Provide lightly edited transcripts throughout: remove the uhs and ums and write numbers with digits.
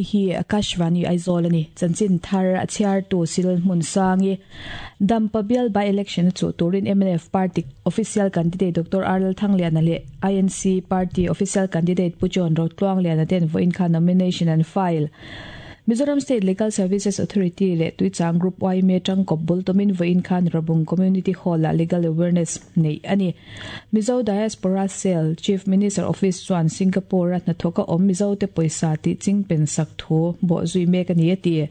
Hei hi Akashvani Aizawl a ni. Chanchin thar a chhiartu Cyril Hmunsangi. Dampa bial by election a chuh turin mnf party official candidate Doctor R Lalthangliana leh INC party official candidate Pu John Rotluangliana ten vawiin khan nomination an file. Mizoram State Legal Services Authority leh Tuichang Group yma tangkawp bul tumin vawiin khan Rabung Community Hall-ah Legal Awareness neih a ni. Mizo Diaspora Cell, Chief Minister Office chuan Singapore-a hnathawka awm Mizote pawisa tih ching pen sak thu bawh zui mek a ni a ti.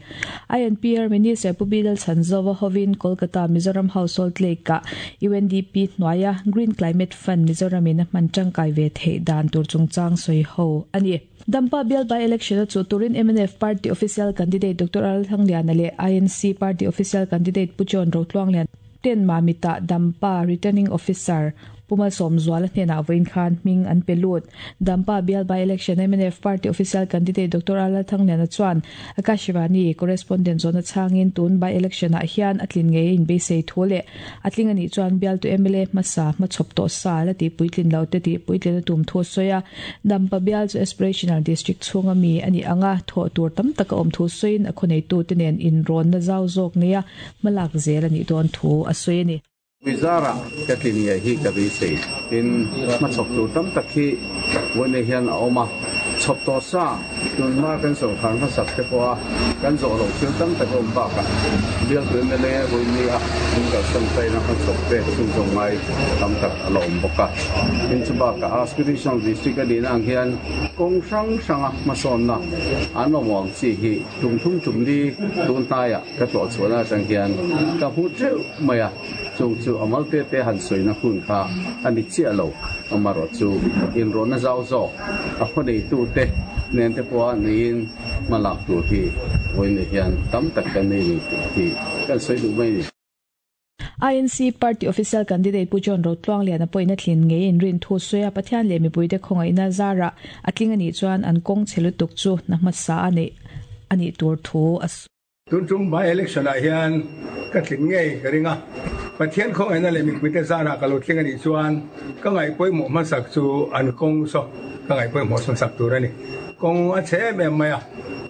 INPR Minister Pu Bidal Chhanzova hovin Kolkata Mizoram Household Lake-ah UNDP hnuaia Green Climate Fund Mizoramin a hman tangkai ve theih dan tur chungchang sawi ho a ni. Dampa bial by election a chuh turin mnf party official candidate Doctor Al Thangliana leh INC party official candidate Pu John Rotluanglian ten Mamita Dampa returning officer Pu Malsawmzuala hnenah vawiin khan hming an pe lut. Dampa bial by election mnf party official candidate Doctor Al Thangliana chuan Akashvani correspondent zawhna chhangin tun by election ah hian a tlin ngei a inbeisei thu leh A tling a nih chuan bialtu mla hmasa hmachhawp tawh sa la tih puitlin lo te tih puitlin a tum thu a sawi a. Dampa bial chu Aspirational District chhunga mi a nih anga thawh tur tam tak a awm thu sawiin a khawneitu te nen inrawnna zau zawk neia hmalak zel a nih dawn thu a sawi a ni. Mizara ka tlin ngei hi ka beisei. Tin, hmachhawp tur tam tak hi vawiin hian a awm a. Chhawp tawh sa Tunhma kan sorkar hmasak te pawha kan zawh loh thil tam tak a awm bakah bialtu mla Ruimi a min kalsan taina hmachhawp te chhunzawm ngai tam tak a la awm bawk a. Tin chu bakah Aspirational District a nihna ang hian kawng hrang hranga hmasawnna an awm ang chi hi tum thum tum li tun hnaiah ka tlawh chhuahna atang hian ka hmu teuh mai a. Chung chu a mal te te han sawina hun kha a ni chiah lo, amarawh chu inrawhna zau zawk a khawneitu te nen te pawha neiin hma lak tur hi vawiin hian tam tak kan nei ni tih hi kan sawi duh mai a ni. INC Party Official Candidate Pu John Rotluangliana pawhin a tlin ngei inrin thu sawi a, Pathian leh mipuite khawngaihna zarah a tling a nih chuan an kawng chhe lutuk chu hna hmasa a neih a nih tur thu a sawi. Tun tum by election ah hian ka tling ngei ka ring a, Pathian khawngaihna leh mipuite zarah ka lo tling a nih chuan ka ngaihpawimawh hmasak chu an kawng saw ka ngaihpawimawh hmasak tur a ni. Kawng a chhe em em mai a,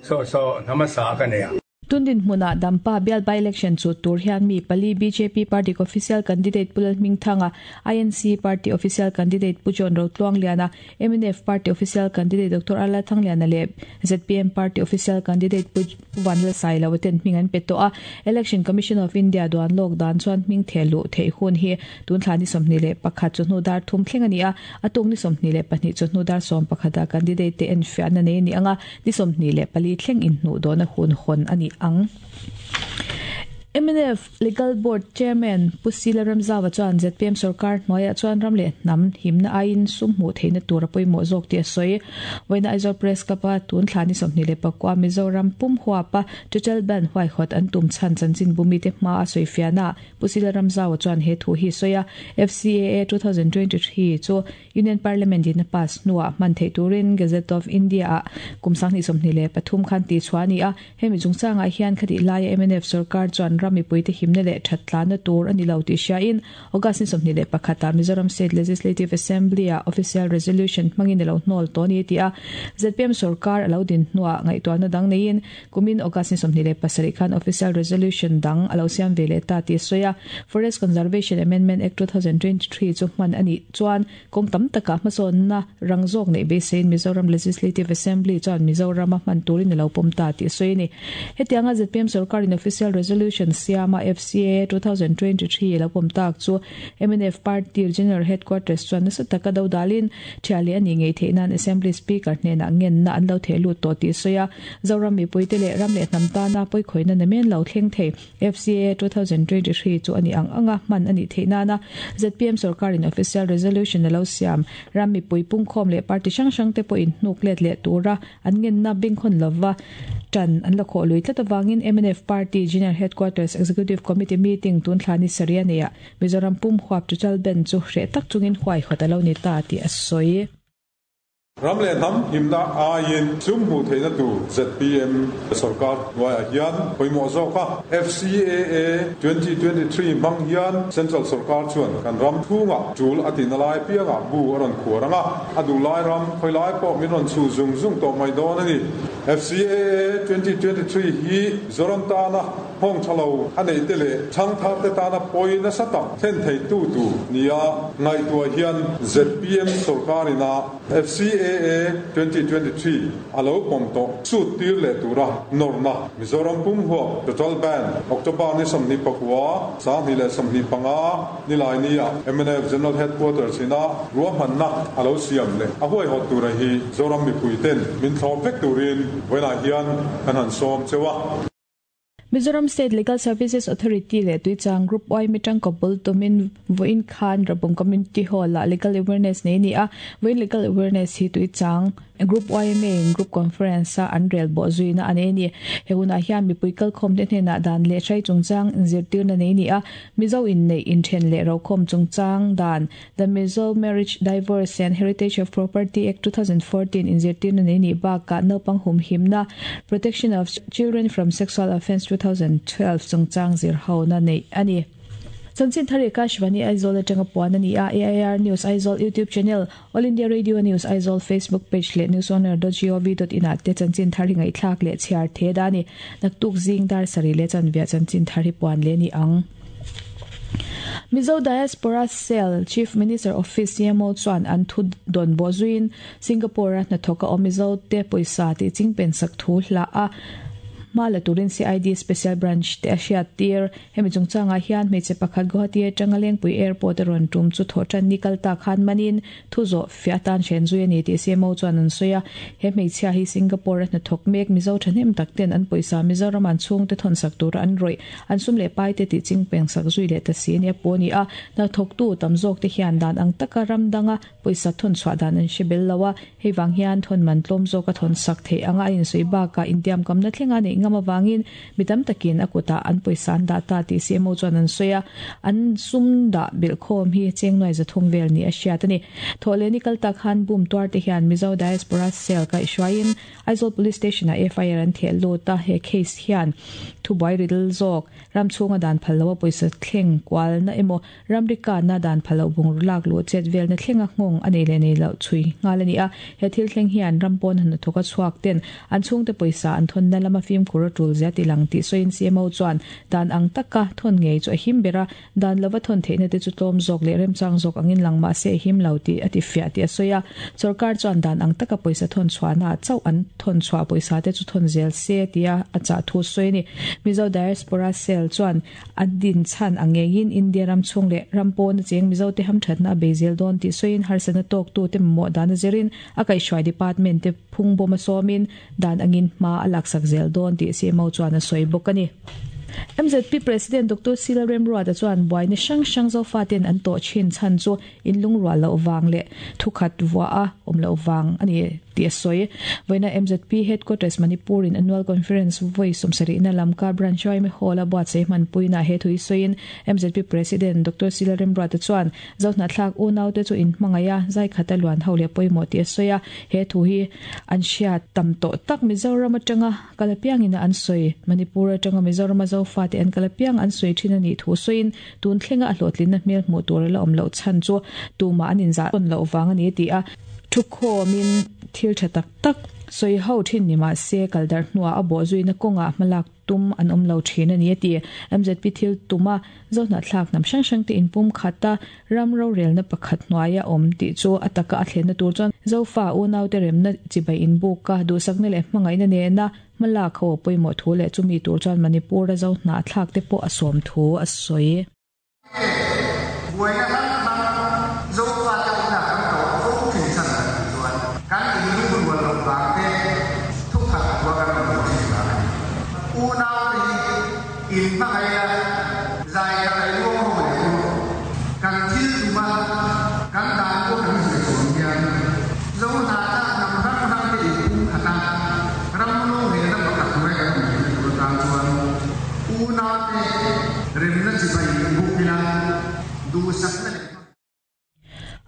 saw saw hna hmasa ka nei a. Tun dinhmunah Dampa bial by election chu tur hian mi pali bjp party official candidate Pu Lalhmingthanga, INC party official candidate Pu John Rotluangliana, Mnf party official candidate Doctor Arla Thangliana leh zpm party official candidate Pu Vanlalsailo ten hming an pe tawh a. Election Commission of India duan lawk dan chuan hming theh luh theih hun hi tun thla ni 21 chawhnu dar thum thleng a ni a, a tuk ni 22 chawhnu dar 11 ah candidate te enfiahna nei a ni ang a, ni 24 thleng inhnuh dawhna hun hawn a ni ang. Mnf. Legal Board Chairman Pu Sila Ramzava chuan zpm sorkar hnuaiah chuan ram leh hnam himna aiin sum hmuh theihna tur a pawimawh zawk tih a sawi. Vawiina Aizawl Press Club-a tun thla ni 21 Mizoram pum huapa Total Ban huaihawt an tum chhan chanchinbu mite hmaa a sawifiahnaah Pu Sila Ramzaua chuan he thu hi a sawi a, FCAA 2023 chu Union Parliament in a pass hnuah hman theih turin Gazette of India-ah kum 2023 khan tihchhuah a ni a. Hemi chungchangah hian khatih laia mnf sorkar chuan ram mipuite himna leh that tlanna tur a ni lo tih hriain August ni 21 ah Mizoram State Legislative Assembly-ah Official Resolution hmangin a lo hnawl tawh a ni a ti a. Zpm sorkar a lo din hnuah ngaihtuahna dang neiin kumin August ni 27 khan Official Resolution dang a lo siam ve leh ta tih a sawi a. Forest Conservation Amendment Act 2023 chu hman a nih chuan kawng tam takah hmasawnna rang zawk neih beiseiin Mizoram Legislative Assembly chuan Mizorama hman turin a lo pawm ta tih a sawi a ni. Hetianga zpm sorkarin Official Resolution siama FCAA 2023 a lo pawm tak chu mnf Party General Headquarters chuan nasa taka do dalin thiah leh a nih ngei theih nan Assembly Speaker hnenah ngenna an lo theh lut tawh tih a sawi a. Zoram mipuite leh ram leh hnam tana pawikhawihna namen lo thleng thei. FCAA 2023 chu a nih ang anga hman a nih theih nana zpm sorkarin official resolution a lo siam. Ram mipui pungkhawm leh party hrang hrang te pawhin hnuk let leh tura an ngenna bengkhawn lova tan an la khawh lui tlat avangin mnf party General Headquarters Executive Committee meeting tun thla ni sarih a neihah Mizoram pum huap Tuchal Ben chu hreh tak chungin huaihawt a lo ni ta tih a sawi. Ram leh hnam himna aiin sum hmuh theihna tur zpm sorkar hnuaiah hian pawimawh zawk a. FCAA 2023 hmang hian Central sorkar chuan kan ram chhungah tul a tihna lai apiangah bu a rawn khuar ang a, a duh lai ram khawi lai pawh min rawn chhuh zung zung tawh mai dawn a ni. FCAA 2023 hi Zoram tana nghawng tha lo a neih te leh thangthar te tana pawi nasa tak thlen thei tu tur nia ngaihtuah hian zpm sorkar ina FCAA 2023 a lo pawm tawh sut tir leh tura nawrna Mizoram pum huap Total Ban October ni 24, 2025 Nilaini ah mnf General Headquarters ina ruahmanna a lo siam leh a huaihawt tura hi Zoram mipui ten min thlawp vek turin vawiinah hian kan han sawm cheu a. Mizoram State Legal Services Authority leh Tuichang Group yma tangkaw bul tumin vawiin khan Rabung Community Hall-ah Legal Awareness nei a ni a. Vawiin Legal Awareness hi Tuichang Group yma in Group Conference-a an rel bawh zuina a nei a ni. He hunah hian mipui kalkhawmte hnenah dan leh hrai chungchang inzirtirna nei a ni a. Mizo inneih inthen leh rokhawm chungchang dan The Mizo Marriage, Divorce and Heritage of Property Act 2014 inzirtirna nei nih bakah naupang humhimna Protection of Children from Sexual Offence 2012 chungchang zirhona neih a ni. Chanchin thar i Kashvani Aizawl atanga puan a ni a, AIR News Aizawl YouTube channel, All India Radio News Aizawl Facebook page leh newsoner.gov.in ah te chanchin thar hi ngaihthlak leh chhiar the da a ni. Naktuk zing dar sarih leh chanviah chanchin thar hi puan leh a ni ang. Mizo Diaspora Cell Chief Minister Office CMO chuan an thu dawn bawh zuiin Singapore-a hnathawk a awm Mizo te pawisa tih chingpen sak thu hlah a hma la turin CID Special Branch te a hriat tir. Hemi chungchangah hian hmeichhe pakhat Guwahati atanga Lengpui Airport a rawn tum chu thawhtan ni kal ta khan manin thu zawh fiah atan hren zui a ni tih CMO chuan an sawi a. He hmeichhia hi Singapore-a hnathawk mek Mizo thahnem tak ten an pawisa Mizoram an chhungte thawnsak tura an rawih an sum leh pai te tih chingpeng sak zui leh ta si a nia pawh a ni a. Hnathawktu tam zawk te hian dan ang taka ram danga pawisa thawn chhuah dan an hre bel lo a, hei vang hian thawn man tlawm zawk a thawn sak theih anga a insawi bakah intiamkamna thlenga neih ngam avangin mi tam takin a kutah an pawisa an dah ta tih CMO chuan an sawi a, an sum dah belhkhawm hi cheng nuai zathum vel ni a hriat a ni. Thawhleh ni kal tak khan bum tuar te hian Mizo Diaspora Cell kaihhruaiin Aizawl Police Station-ah FIR an theh lut a, he case hian thubuai ridl zawk ram chhunga dan phal loa pawisa thleng kualna emaw Ramri kanna dan pha loh bungraw lak luh chet velna thlenga nghawng a nei leh nei loh chhui nghal a ni a. He thil thleng hian ram pawn hnathawk a chhuak ten an chhungte pawisa an thawnna lama fimkhur a tul zia ti lang tih sawiin CMO chuan dan ang taka thawn ngei chu a him ber a, dan lova thawn theihna te chu tlawm zawk leh remchang zawk angin lang mah se a him lo tih a ti fiah tih a sawi a. Sorkar chuan dan ang taka pawisa thawn chhuahna ah chauh an thawn chhuah pawisa te chu thawn zel se tia a chah thu sawi a ni. Mizo Diaspora Cell chuan A din chhan ang ngeiin India ram chhung leh ram pawna cheng Mizote hamthatna a bei zel dawn tih sawiin harsatna tawktute mamawh dan a zirin a kaihhruai department te phung bawm a sawmin dan angin hma a laksak zel dawn tih CMO chuan a sawi bawk a ni. MZP President Doctor Sila Remruata chuan buaina hrang hrang Zofaten an tawh thin chhan chu inlungrual loh vang leh thukhat vuah a awm loh vang a ni tih a sawi. Vawiina MZP Headquarters Manipur in Annual Conference vawi sawmsarihna Lamka Branch yma Hall a buatsaih hmanpuinaah he thu hi sawiin MZP President Doctor Sila Remruata chuan Zohnahthlak unaute chu inhmangaih a, zaikhata luan ho leh pawimawh tih a sawi a, he thu hi an hriat tam tawh tak Mizoram atanga kal apiangin an sawi. Manipur atanga Mizorama Zofate an kal apiang an sawi thin a nih thu sawiin Tun thlenga a hlawhtlinna hmel hmuh tur a la awm loh chhan chu tumah an inzah tawn loh vang a ni ti a, thukhawmin thil tha tak tak sawi ho thin ni mah se kal darh hnuah a bawh zuina kawngah hmalak tum an awm lo thin a ni a ti. MZP thil tuma Zohnahthlak hnam hrang hrang te inpum khata ram rorelna pakhat hnuaia awm tih chu a taka a thlenna tur chuan Zofa unaute remna chibai inbuka duhsakna leh hmangaihna nena Hmalak ho a pawimawh thu leh chumi tur chuan Manipur-a zo hnahthlak te pawh a sawm thu a sawi. Buaina hrang hrang Zofate awmna kan tawh fo thin chhan kan tih chuan kan inlungrual loh vang te thukhat thua kan awm loh thin vang a ni. Unaute hi inhmangaih a, zai khat a luang ho leh chu kan thil tuma kan dan pawh kan zir chuang hian Zo hnahthlak hnam hrang hrang te inpum khat a, ram rorelna pakhat hnuai kan awm theihna tur atan chuan unaute remna chibai inbuk ila duhsakna leh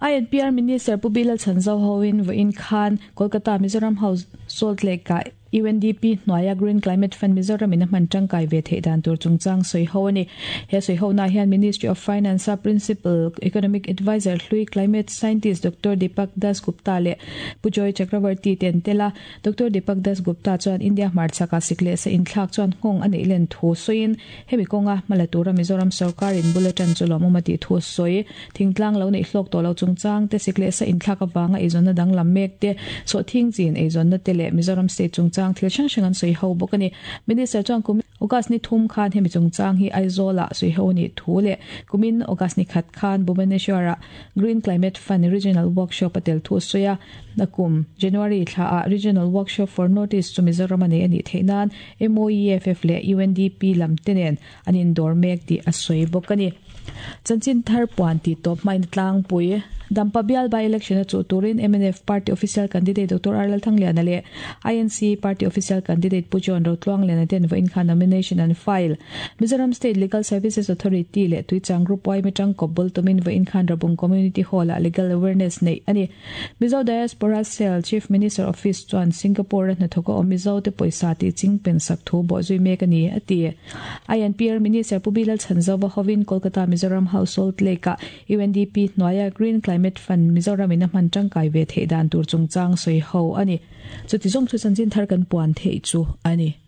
INPR Minister Pu Bilal Chhanzo hoin vawiin khan Kolkata Mizoram House Salt Lake-ah UNDP hnuaia Green Climate Fund Mizoram in a hman tangkai ve theih dan tur chungchang sawi ho a ni. He sawi hona hian Ministry of Finance a Principal Economic Adviser hlui Climate Scientist Doctor Deepak Das Gupta leh Pu Joy Chakravarty te an tel a. Doctor Deepak Das Gupta chuan India hmarchhakah sik leh sa inthlak chuan nghawng a neih len thu sawiin hemi kawnga hmala tura Mizoram sorkar in bul atan chu lawmawm a tih thu a sawi. Thingtlang lo neih hlawk tawh lo chungchang te, sik leh sa inthlak avanga eizawnna danglam mek te, sawhthing chin eizawnna te leh Mizoram state chungchang thil hrang hrang an sawi ho bawk a ni. Minister chuan kum August ni thum khan hemi chungchang hi Aizawl-ah sawi ho a nih thu leh kumin August ni khat khan Bhubaneswar-ah Green Climate Fund Regional Workshop a tel thu a sawi a. Nakum January thlaah Regional Workshop for North East chu Mizoram a nei a nih theih nan MOEFF leh UNDP lam te nen an indawr mek tih a sawi bawk a ni. Chanchin thar puan tih tawp hmain a tlangpui. Dampa bial by election a chuh turin mnf party official candidate Doctor R Lalthangliana leh INC party official candidate Pu John Rotluangliana ten vawiin khan nomination an file. Mizoram State Legal Services Authority leh Tuichang Group yma tangkawp bul tumin vawiin khan Rabung Community Hall-ah legal awareness neih a ni. Mizo Diaspora Cell Chief Minister Office chuan Singapore-a hnathawka awm Mizote pawisa tih chingpen sak thu bawhzui mek a ni, a ti. INPR Minister Pu Bilal Chhanzova hovin Kolkata Mizoram House Salt Lake-ah UNDP hnuaia Green Climate Fund Mizoramin a hman tangkai ve theih dan tur chungchang sawi ho a ni. Chuti zawng chu chanchin thar kan puan theih chu a ni.